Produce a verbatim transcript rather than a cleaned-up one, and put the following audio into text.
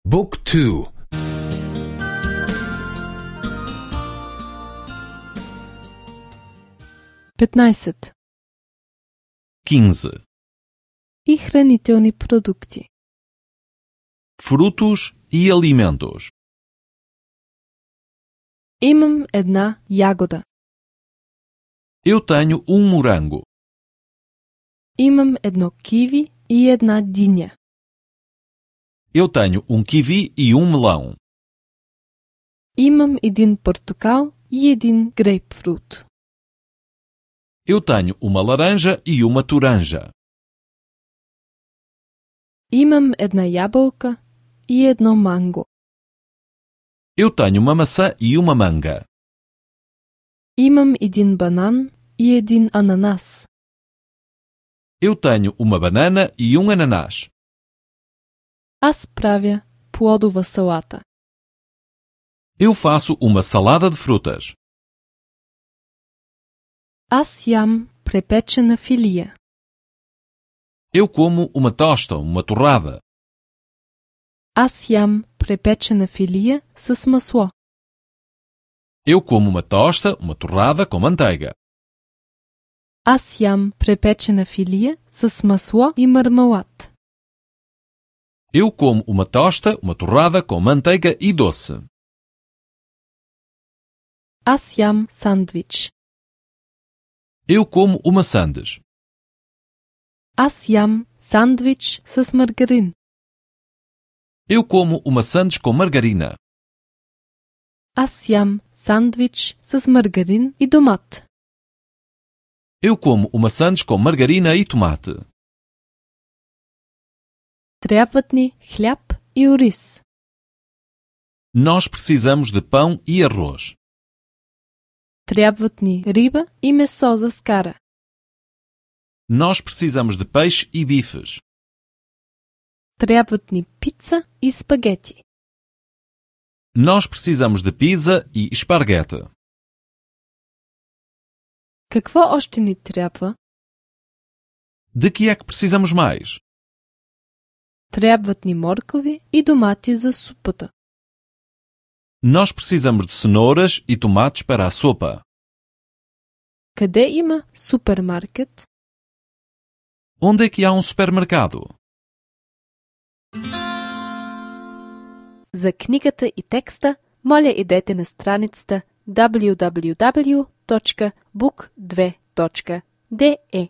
Book two. петнаесет. quinze. И хранителни продукти. Frutos e alimentos. Имам една ягода. Eu tenho um morango. Имам едно киви и една диня. Eu tenho um kiwi e um melão. Имам един портокал и един грейпфрут. Eu tenho uma laranja e uma toranja. Имам една ябълка и едно манго. Eu tenho uma maçã e uma manga. Имам един банан и един ананас. Eu tenho uma banana e um ananás. Аз правя плодова салата. Eu faço uma salada de frutas. Аз ям препечена филия. Eu como uma tosta, uma torrada. Аз ям препечена филия с масло. Eu como uma tosta, uma torrada com manteiga. Аз ям препечена филия с масло и мармелад. Eu como uma tosta, uma torrada com manteiga e doce. Аз ям сандвич. Eu como uma sandes. Аз ям сандвич с маргарин. Eu como uma sandes com margarina. Аз ям сандвич с маргарин и домат. Eu como uma sandes com margarina e tomate. Трябват ни хляб и ориз. Nós precisamos de pão e arroz. Трябват ни риба и месо за скара. Nós precisamos de peixe e bifes. Трябват ни пица и спагети. Nós precisamos de pizza e esparguete. Какво още ни трябва? De que é que precisamos mais? Трябват ни моркови и домати за супата. Nós precisamos de cenouras e tomates para a sopa. Къде има супермаркет? Onde é que há um supermercado? За книгата и текста, моля идете на страницата даблю даблю даблю точка бук две точка де е.